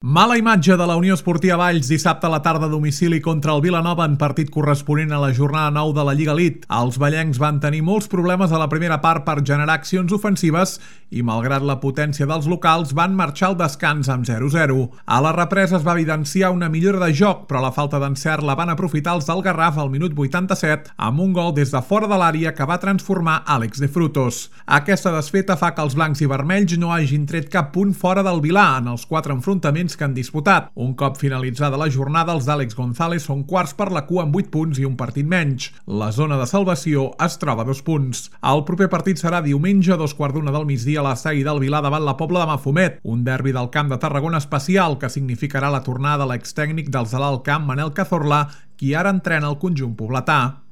Mala imatge de la Unió Esportiva Valls dissabte a la tarda a domicili contra el Vilanova en partit corresponent a la jornada 9 de la Lliga Elite. Els vallencs van tenir molts problemes a la primera part per generar accions ofensives i, malgrat la potència dels locals, van marxar al descans amb 0-0. A la represa es va evidenciar una millora de joc, però la falta d'encert la van aprofitar els del Garraf al minut 87 amb un gol des de fora de l'àrea que va transformar Àlex de Frutos. Aquesta desfeta fa que els blancs i vermells no hagin tret cap punt fora del Vilà en els 4 enfrontaments que han disputat. Un cop finalitzada la jornada, els d'Àlex González són quarts per la cua amb 8 punts i un partit menys. La zona de salvació es troba a 2 punts. El proper partit serà diumenge a 2:15 del migdia a l'estadi del Vilà davant la Pobla de Mafumet, un derbi del Camp de Tarragona especial que significarà la tornada de l'extècnic dels de l'Alt Camp, Manel Cazorla, qui ara entrena el conjunt pobletà.